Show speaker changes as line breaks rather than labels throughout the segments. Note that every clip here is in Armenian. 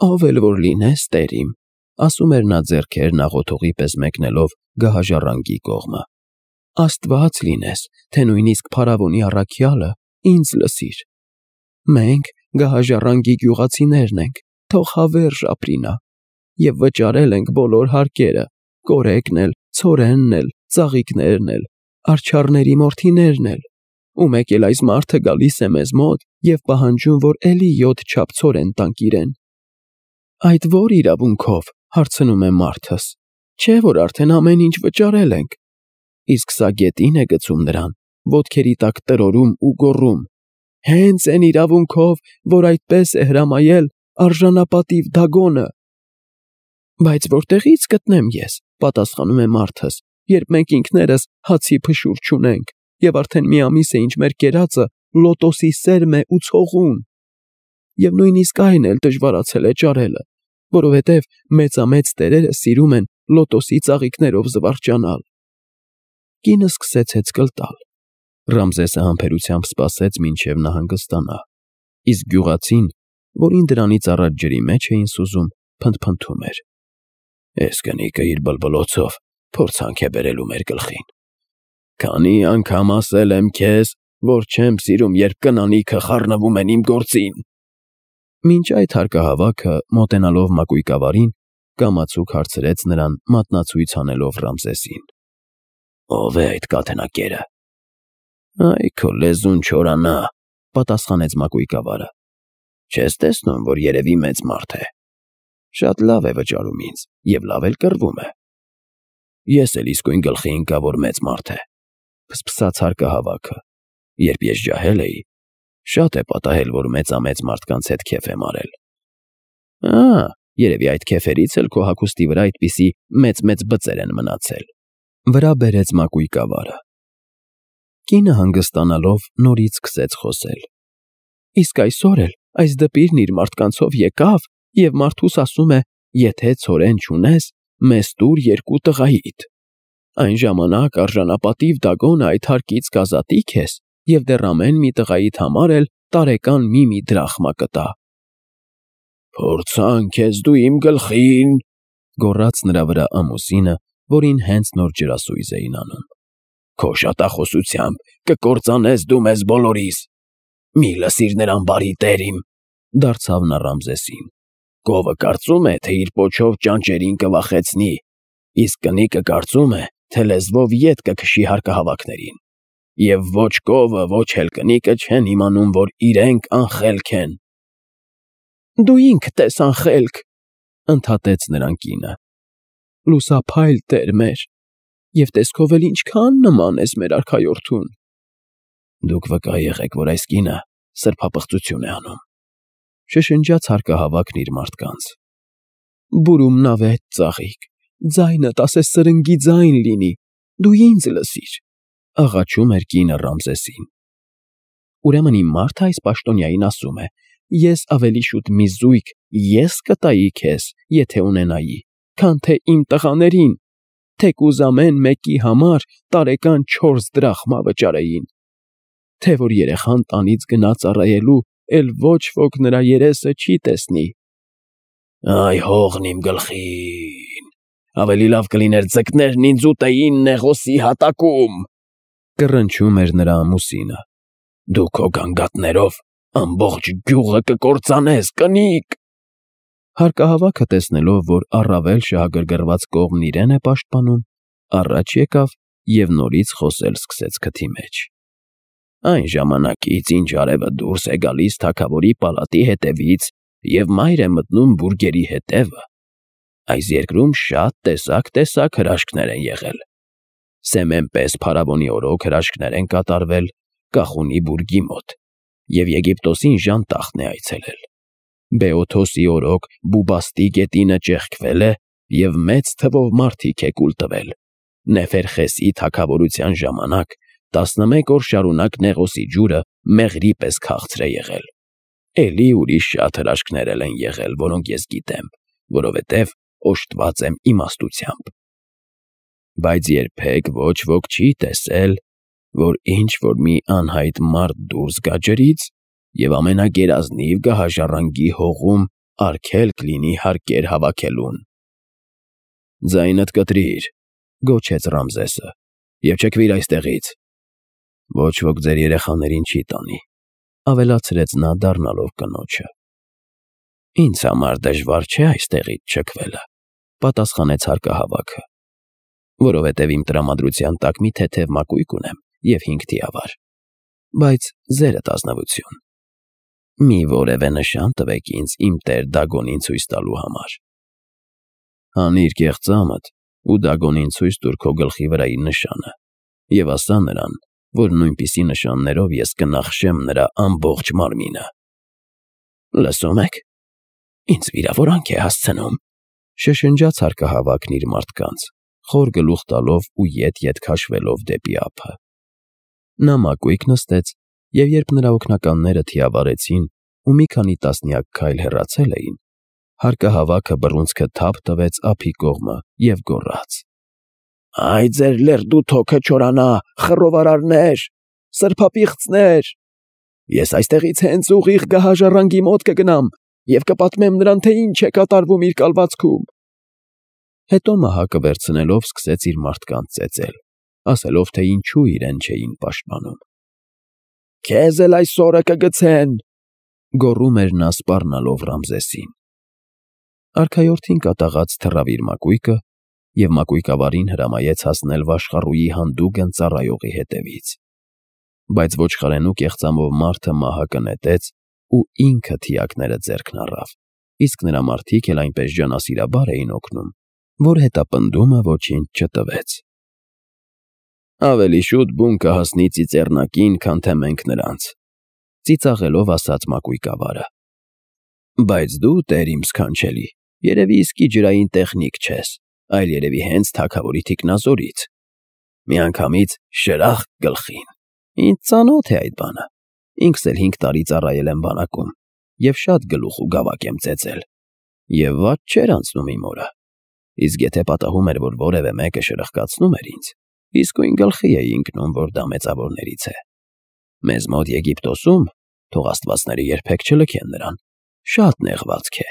Ով էլ որ լինես, տերիմ, ասում էր նա ձեռքերն աղոթողի պես մեկնելով գահաժառանգի կողմը։ Աստված լինես, թե նույնիսկ փարավոնի առաքյալը ինձ լսիր։ Մենք գահաժառանգի գյուղացիներն ենք, թող հավերժ ապրի նա, և վճարել ենք բոլոր հարկերը, կորեկն էլ, ցորենն էլ, ծաղիկներն էլ, արջառների մորթիներն էլ, ու մեկ էլ այս մարդը գալիս է մեզ մոտ և պահանջում, որ էլի 7 չափ ցորեն տանք իրեն։ Այդ ո՞ր իրավունքով, հարցնում է մարդս, չէ՞ որ արդեն ամեն ինչ վճարել ենք։ Իսկ սա գետին է գցում նրան, ոտքերի տակ տրորում ու գոռում. հենց էն իրավունքով, որ այդպես է հրամայել արժանապատիվ Դագոնը։ Բայց որտեղի՞ց գտնեմ ես, պատասխանում է մարդս, երբ մենք ինքներս հացի փշուր չունենք, և արդեն մի ամիս է ինչ մեր կերածը լոտոսի սերմ է ու ցողուն։ Եվ նույնիսկ այն էլ դժվարացել է ճարելը, որովհետև մեծամեծ տերերը սիրում են լոտոսի ծաղիկներով զվարճանալ։ Կինը սկսեց հեծկլ տալ։ Ռամզեսը համբերությամբ սպասեց, մինչև նա հանգստանա, իսկ գյուղացին, որին դրանից առաջ ջրի մեջ էին սուզում, փնթփնթում էր. Էս կնիկը իր բլբլոցով փորձանք է բերելու մեր գլխին։ Քանի անգամ ասել եմ քեզ, որ չեմ սիրում, երբ կնանիքը խառնվում են իմ գործին։ Մինչ այդ հարկահավաքը, մոտենալով մակույկավարին, կամացուկ հարցրեց նրան, մատնացույց անելով Ռամզեսին. Ո՞վ է այդ կաթնակերը։ Այ քո լեզուն չորանա, պատասխանեց մակույկավարը։ Չես տեսնում, որ երևի մեծ մարդ է։ Շատ լավ է վճարում ինձ և լավ էլ կռվում է։ Ես էլ իսկույն գլխի ընկա, որ մեծ մարդ է, փսփսաց հարկահավաքը։ Երբ ես ջահել էի, շատ է պատահել, որ մեծամեծ մարդկանց հետ քեֆ եմ արել։ Երևի այդ քեֆերից էլ քո հագուստի վրա այդպիսի մեծ բծեր են մնացել, վրա բերեց մակույկավարը։ Կինը հանգստանալով նորից սկսեց խոսել։ Իսկ այսօր էլ այս դպիրն իր մարդկանցով եկավ և մարդուս ասում է, եթե ցորեն չունես, մեզ տուր 2 տղայիդ։ Այն ժամանակ արժանապատիվ Դագոնը այդ հարկից կազատի քեզ և դեռ ամեն մի տղայիդ համար էլ տարեկան մի դրախմա կտա։ Փորձան քեզ դու իմ գլխին, գոռաց նրա վրա ամուսինը, որին հենց նոր ջրասույզ էին անում։ Քո շատախոսությամբ կկործանես դու մեզ բոլորիս։ Մի լսիր նրան բարի տերիմ, դարձավ նա Ռամզեսին։ Կովը կարծում է, թե իր պոչով ճանճերին կվախեցնի, իսկ կնիկը կարծում է, թե լեզվով ետ կքշի հարկահավաքներին։ Եվ ոչ կովը, ոչ էլ կնիկը չեն իմանում, որ իրենք անխելք են։ Դու ինքդ ես անխելք, ընդհատեց նրան կինը։ Լուսափայլ տեր մեր, և տեսքով էլ ինչքան նման ես մեր արքայորդուն։ Դուք վկա եղեք, որ այս կինը սրբապղծություն է անում, շշնջաց հարկահավաքն իր մարդկանց։ Բուրումնավետ ծաղիկ, ձայնդ ասես սրնգի ձայն լինի, դու ինձ լսիր, աղաչում էր կինը Ռամզեսին։ Ուրեմն իմ մարդը այս պաշտոնյային ասում է. ես ավելի շուտ մի զույգ ես կտայի քեզ, եթե ունենայի, քան թե իմ տղաներին, թեկուզ ամեն մեկի համար տարեկան 4 դրախմա վճարեին, թե որ երեխան տանից գնա ծառայելու, էլ ոչ ոք նրա երեսը չի տեսնի։ Այ հողն իմ գլխին, ավելի լավ կլիներ ձկներն ինձ ուտեին Նեղոսի հատակում, կռնչում էր նրա ամուսինը։ Դու քո գանգատներով ամբողջ գյուղը կկործանես, կնիկ։ Հարկահավաքը տեսնելով, որ առավել շահագրգռված կողմն իրեն է պաշտպանում, առաջ եկավ և նորից խոսել սկսեց քթի մեջ։ Այն ժամանակից, ինչ արևը դուրս է գալիս թագավորի պալատի հետևից և մայր է մտնում բուրգերի հետևը, այս երկրում շատ տեսակ հրաշքներ են եղել։ Սեմեն պես փարավոնի օրոք հրաշքներ են կատարվել Կախունի բուրգի մոտ, և Եգիպտոսին ժանտախն է այցելել։ Բեոթոսի օրոք Բուբաստի գետինը ճեղքվել է և մեծ թվով մարդիկ է կուլ տվել։ Նեֆերխեսի թագավորության ժամանակ 11 օր շարունակ Նեղոսի ջուրը մեղրի պես քաղցր է եղել։ Էլի ուրիշ շատ հրաշքներ են եղել, որոնք ես գիտեմ, որովհետև օժտված եմ իմաստությամբ։ Բայց երբեք ոչ ոք չի տեսել, որ ինչ-որ մի անհայտ մարդ դուրս գա ջրից և ամենագերազնիվ գահաժառանգի հողում արգել կլինի հարկեր հավաքելուն։ Ձայնդ կտրիր, գոչեց Ռամզեսը, և չքվիր այստեղից։ Ոչ ոք ձեր երեխաներին չի տանի, ավելացրեց նա դառնալով կնոջը։ Ինձ համար դժվար չէ այստեղից չքվելը, պատասխանեց հարկահավաքը, որովհետև իմ տրամադրության տակ մի թեթև մակույկ ունեմ և 5 թիավար, բայց ձերդ ազնվություն։ Մի որևէ նշան տվեք ինձ իմ տեր Դագոնին ցույց տալու համար։ Հանիր կեղծամդ ու Դագոնին ցույց տուր քո գլխի վրայի նշանը և ասա նրան, որ նույնպիսի նշաններով ես կնախշեմ նրա ամբողջ մարմինը։ Լսում եք, ինձ վիրավորանք է հասցնում, շշնջաց հարկահավաքն իր մարդկանց, խոր գլուխ տալով ու ետ-ետ քաշվելով դեպի ափը։ Նա մակույկ նստեց, և երբ նրա օգնականները թիավարեցին ու մի քանի տասնյակ քայլ հեռացել էին, հարկահավաքը բռունցքը թափ տվեց ափի կողմը և գոռաց. «Այ ձեր լերդու թոքը չորանա, խռովարարներ, սրբապիղծներ… Ես այստեղից հենց ուղիղ գահաժառանգի մոտ կգնամ և կպատմեմ նրան, թե ինչ է կատարվում իր կալվածքում»։ Հետո մահակը վերցնելով սկսեց իր մարդկանց ծեծել, ասելով, թե ինչու իրեն չէին պաշտպանում։ «Քեզ էլ այսօրը կգցեն», գոռում էր նա սպառնալով Ռամզեսին։ Արքայորդին կատաղած թռավ իր մակույկը և մակույկավարին հրամայեց հասնել վաշխառուի հանդուգն ծառայողի հետևից։ Բայց ոչխարենու կեղծամով մարդը մահակը նետեց ու ինքը թիակները ձեռքն առավ, իսկ նրա մարդիկ էլ այնպես ջանասիրաբար էին օգնում, որ հետապնդումը ոչինչ չտվեց։ Ավելի շուտ բուն կհասնի ծիծեռնակին, քան թե մենք նրանց, ծիծաղելով ասաց մակույկավարը։ Բայց դու, տեր իմ սքանչելի, երևի իսկի ջրային տեխնիկ չես, այլ երևի հենց թագավորի թիկնազորից։ Միանգամից շրախ գլխին։ Ինձ ծանոթ է այդ բանը։ Ինքս էլ 5 տարի ծառայել եմ բանակում և շատ գլուխ ու գավակ եմ ծեծել։ Եվ վատ չէր անցնում իմ օրը։ Իսկ եթե պատահում էր, որ որևէ մեկը շրխկացնում էր ինձ, իսկույն գլխի էի ընկնում, որ դա մեծավորներից է։ Մեզ մոտ Եգիպտոսում, թող աստվածները երբեք չլքեն նրան, շատ նեղվածք է։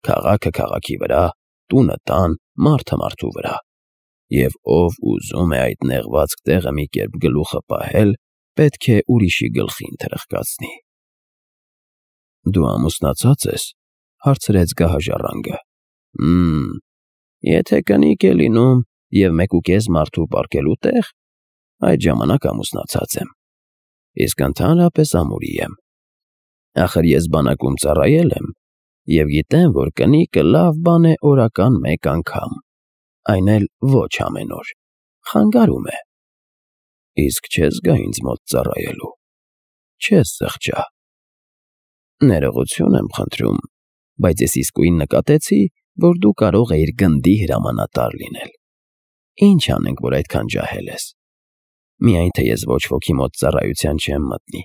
Քաղաքը քաղաքի վրա, տունը տան, մարդը մարդու վրա։ Եվ ով ուզում է այդ նեղվածք տեղը մի կերպ գլուխը պահել, պետք է ուրիշի գլխին թրխկացնի։ Դու ամուսնացած ես, հարցրեց գահաժառանգը։ Եթե կնիկ է լինում և 1.5 մարդու պառկելու տեղ, այդ ժամանակ ամուսնացած եմ, իսկ ընդհանրապես ամուրի եմ։ Ախր ես բանակում ծառայել եմ և գիտեմ, որ կնիկը լավ բան է օրական 1 անգամ, այն էլ ոչ ամեն օր, խանգարում է։ Իսկ չես գա ինձ մոտ ծառայելու, չես զղջա։ Ներողություն եմ խնդրում, բայց ես իսկույն նկատեցի, որ դու կարող էիր գնդի հրամանատար լինել։ Ինչ անենք, որ այդքան ջահել ես։ Միայն թե ես ոչ ոքի մոտ ծառայության չեմ մտնի,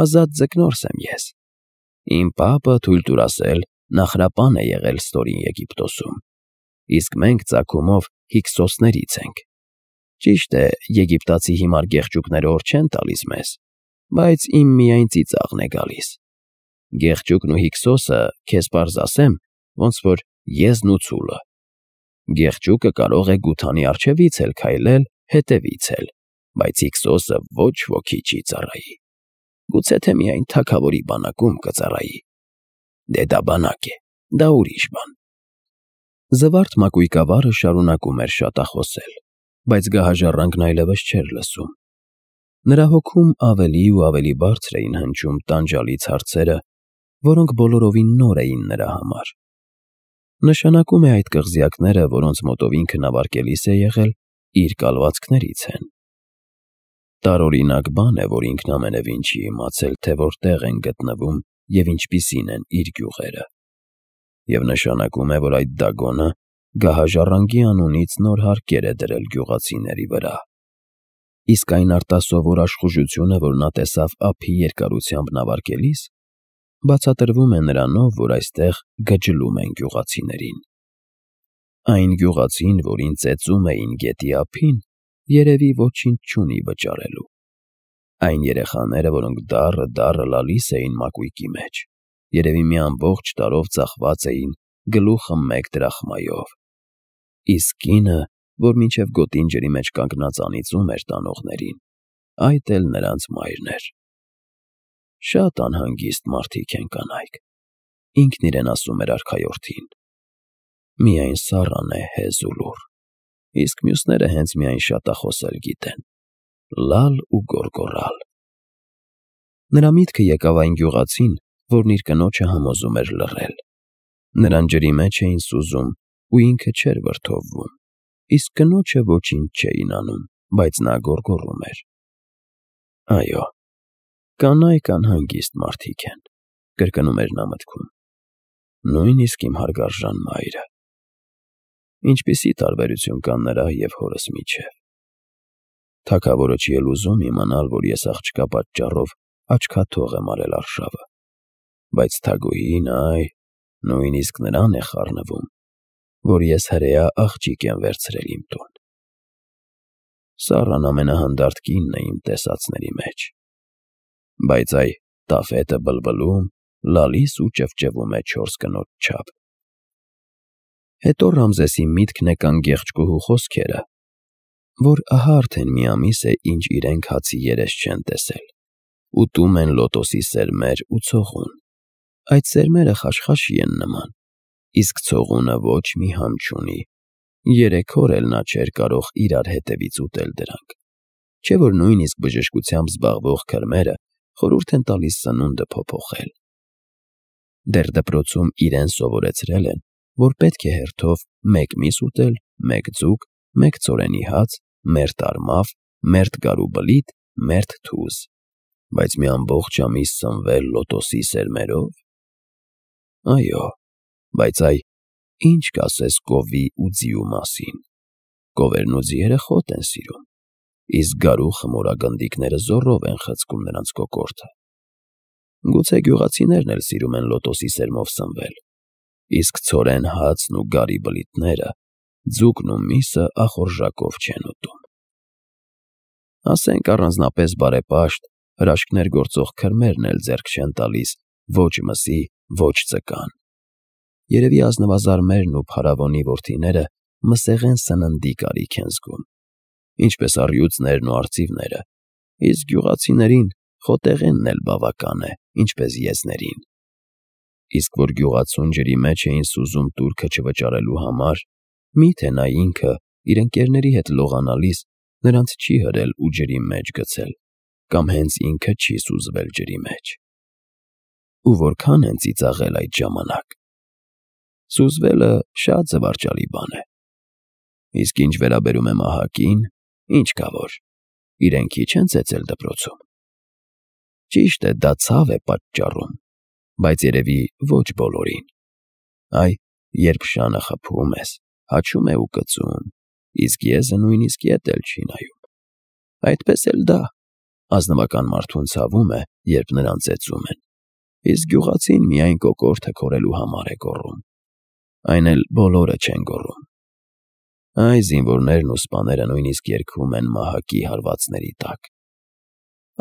ազատ ձկնորս եմ ես։ Իմ պապը թույլ տուր ասել նախրապան է եղել ստորին Եգիպտոսում, իսկ մենք ծագումով Հիքսոսներից ենք։ Ճիշտ է, եգիպտացի հիմար գեղջուկները օր չեն տալիս մեզ, բայց իմ միայն ծիծաղն է գալիս։ Գեղջուկն ու Հիքսոսը, քեզ պարզ ասեմ, ոնց որ եզն ու ցուլը։ Գեղջուկը կարող է գութանի առջևից էլ քայլել, հետևից էլ, բայց Հիքսոսը ոչ ոքի չի ծառայի։ Գուցե թե միայն թագավորի բանակում կծառայի։ Դե դա բանակ է, դա ուրիշ բան։ Զվարթ մակույկավարը շարունակում էր շատախոսել, բայց գահաժառանգն այլևս չէր լսում։ Նրա հոգում ավելի ու ավելի բարձր էին հնչում տանջալից հարցերը, որոնք բոլորովին նոր էին նրա համար։ Նշանակում է այդ կղզյակները, որոնց մոտով ինքը նավարկելիս է եղել, իր կալվածքներից են։ Տարօրինակ բան է, որ ինքն ամենևին չի իմացել, թե որտեղ են գտնվում և ինչպիսին են իր գյուղերը։ Եվ նշանակում է, որ այդ Դագոնը գահաժառանգի անունից նոր հարկեր է դրել գյուղացիների վրա։ Իսկ այն արտասովոր աշխուժությունը, որ նա տեսավ ափի երկարությամբ նավարկելիս, բացատրվում է նրանով, որ այստեղ գջլում են գյուղացիներին։ Այն գյուղացին, որին ծեծում էին գետի ափին, երևի ոչինչ չունի վճարելու։ Այն երեխաները, որոնք դառը լալիս էին մակույկի մեջ, երևի մի ամբողջ տարով ծախված էին գլուխը 1 դրախմայով։ Իսկ կինը, որ մինչև գոտին ջրի մեջ կանգնած անիծում էր տանողներին, այդ էլ նրանց մայրն էր։ Շատ անհանգիստ մարդիկ են կանայք, ինքն իրեն ասում էր արքայորդին։ Միայն Սառան է հեզ ու լուռ, իսկ մյուսները հենց միայն շատախոսել գիտեն, լալ ու գոռգոռալ։ Նրա միտքը եկավ այն գյուղացին, որն իր կնոջը համոզում էր լռել։ Նրան ջրի մեջ էին սուզում, ու ինքը չէր վրդովվում, իսկ կնոջը ոչինչ չէին անում, բայց նա գոռգոռում էր։ Այո, կանայք անհանգիստ մարդիկ են, կրկնում էր նա մտքում, նույնիսկ իմ հարգարժան մայրը։ Ինչպիսի տարբերություն կա նրա և հորս միջև։ Թագավորը չի էլ ուզում իմանալ, որ ես աղջկա պատճառով աչքաթող եմ արել արշավը, բայց Թագուհին, այ, նույնիսկ նրան է խառնվում, որ ես հրեա աղջիկ եմ վերցրել իմ տուն։ Սառան ամենահանդարտ կինն է իմ տեսածների մեջ, բայց այ տաֆետը բլբլում, լալիս ու ճվճվում է 4 կնոջ չափ։ Հետո Ռամզեսի միտքն եկան գեղեցկուհու խոսքերը, որ ահա արդեն մի ամիս է, ինչ իրենք հացի երես չեն տեսել, ուտում են լոտոսի սերմեր ու ցողուն։ Այդ սերմերը խաշխաշի են նման, իսկ ցողունը ոչ մի համ չունի, 3 օր էլ նա չէր կարող իրար հետևից ուտել դրանք, չէ որ նույնիսկ բժշկությամբ զբաղվող քրմերը խորհուրդ են տալիս սնունդը փոփոխել։ Դեռ դպրոցում իրեն սովորեցրել են, որ պետք է հերթով 1 միս ուտել, 1 ձուկ, 1 ցորենի հաց, մերթ արմավ, մերթ գարու բլիթ, մերթ թուզ, բայց մի ամբողջ ամիս սնվել լոտոսի սերմերով։ Այո, բայց այ ինչ կասես կովի ու ձիու մասին։ Կովերն ու ձիերը խոտ են սիրում, իսկ գարու խմորագնդիկները զոռով են խցկում նրանց կոկորդը։ Գուցե գյուղացիներն էլ սիրում են լոտոսի սերմով սնվել, իսկ ցորեն հացն ու գարի բլիթները, ձուկն ու միսը ախորժակով չեն ուտում։ Ասենք առանձնապես բարեպաշտ, հրաշքներ գործող քրմերն էլ ձեռք չեն տալիս ոչ մսի, ոչ ձկան։ Երևի ազնվազարմերն ու փարավոնի որդիները մսեղեն սննդի կարիք են զգում, ինչպես առյուծներն ու արծիվները, իսկ գյուղացիներին խոտեղենն էլ բավական է, ինչպես եզներին։ Իսկ որ գյուղացուն ջրի մեջ էին սուզում տուրքը չվճարելու համար, միթե նա ինքը իր ընկերների հետ լողանալիս նրանց չի հրել ու ջրի մեջ գցել, կամ հենց ինքը չի սուզվել ջրի մեջ։ Ու որքան են ծիծաղել այդ ժամանակ։ Սուզվելը շատ զվարճալի բան է։ Իսկ ինչ վերաբերում է մահակին, ինչ կա որ, իրեն քիչ են ծեծել դպրոցում։ Ճիշտ է, դա ցավ է պատճառում, բայց երևի ոչ բոլորին։ Այ, երբ շանը խփում ես, հաչում է ու կծում, իսկ եզը նույնիսկ ետ էլ չի նայում։ Այդպես էլ դա, ազնվական մարդուն ցավում է, երբ նրան ծեծում են, իսկ գյուղացին միայն կոկորդը քորելու համար է գոռում։ Այն էլ բոլորը չեն գոռում։ Այ զինվորներն ու սպաները նույնիսկ երգում են մահակի հարվածների տակ։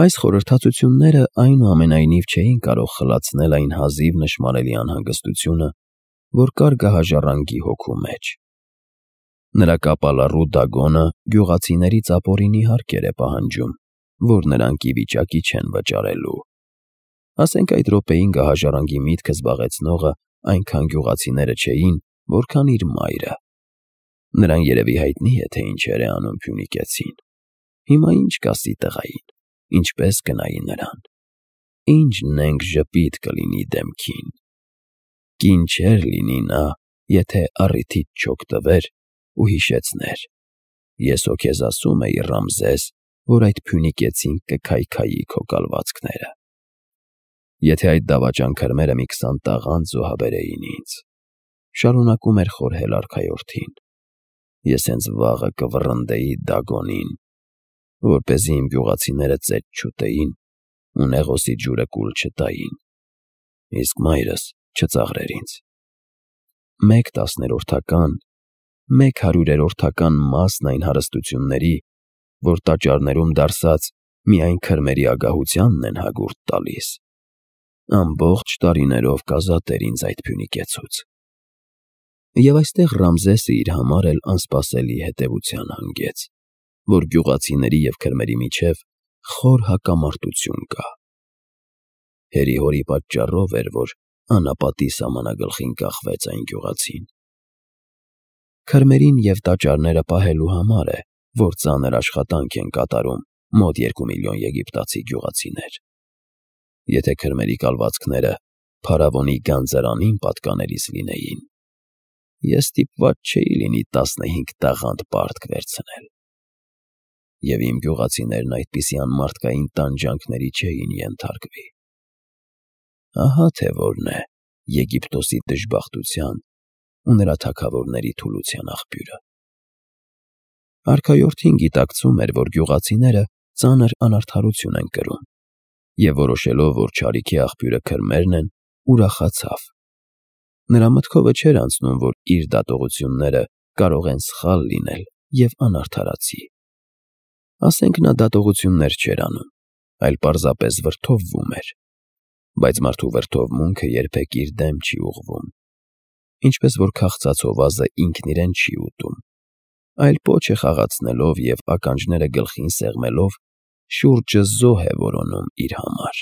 Այս խորհրդածությունները այնուամենայնիվ չէին կարող խլացնել այն հազիվ նշմարելի անհանգստությունը, որ կար գահաժառանգի հոգու մեջ։ Նրա կապալառու դագոնը գյուղացիներից ապօրինի հարկեր է պահանջում, որ նրանք ի վիճակի չեն վճարելու։ Ասենք այդ րոպեին գահաժառանգի միտքը զբաղեցնողը այնքան գյուղացիները չէին, որքան իր մայրը։ Նրան երևի հայտնի է, թե ինչեր է անում Փյունիկեցին։ Հիմա ինչ կասի տղային, ինչպես կնայի նրան, ինչ նենգ ժպիտ կլինի դեմքին։ Կին չէր լինի նա, եթե առիթից չօգտվեր ու հիշեցներ. ես հո քեզ ասում էի, Ռամզես, որ այդ Փյունիկեցին կքայքայի քո կալվածքները։ Եթե այդ դավաճան քրմերը մի 20 տաղանդ զոհաբերեին ինձ, շարունակում էր խորհել արքայորդին, ես հենց վաղը կվռնդեի Դագոնին, որպեսզի իմ գյուղացիները ծեծ չուտեին ու Նեղոսի ջուրը կուլ չտային, իսկ մայրս չծաղրեր ինձ։ 1/10-ական, 1/100-ական մասն այն հարստությունների, որ տաճարներում դարսած միայն քրմերի ագահությանն են հագուրդ տալիս, Ամբողջ տարիներով կազատեր ինձ այդ փյունիկեցուց։ Եվ այստեղ Ռամզեսը իր համար էլ անսպասելի հետևության հանգեց, որ գյուղացիների և քրմերի միջև խոր հակամարտություն կա։ Հերի-հորի պատճառով էր, որ անապատի սահմանագլխին կախվեց այն գյուղացին։ Քրմերին և տաճարները պահելու համար է, որ ծանր աշխատանք են կատարում մոտ 2 միլիոն եգիպտացի գյուղացիներ։ Եթե քրմերի կալվածքները փարավոնի գանձարանին պատկանելիս լինեին, ես ստիպված չէի լինի 15 տաղանդ պարտք վերցնել։ Եվ իմ գյուղացիներն այդպիսի անմարդկային տանջանքների չէին ենթարկվի։ Ահա թե որն է Եգիպտոսի դժբախտության ու նրա թագավորների թուլության աղբյուրը։ Արքայորդին գիտակցում էր, որ գյուղացիները ծանր անարդարություն են կրում, և որոշելով, որ չարիքի աղբյուրը քրմերն են, ուրախացավ։ Նրա մտքովը չէր անցնում, որ իր դատողությունները կարող են սխալ լինել և անարդարացի։ Ասենք նա դատողություններ չէր անում, այլ պարզապես վրդովվում էր, բայց մարդու վրդովմունքը երբեք իր դեմ չի ուղղվում, ինչպես որ քաղցած հովազը ինքն իրեն չի ուտում, այլ պոչ է խաղացնելով և ականջները գլխին սեղմելով շուրջը զոհ է որոնում իր համար։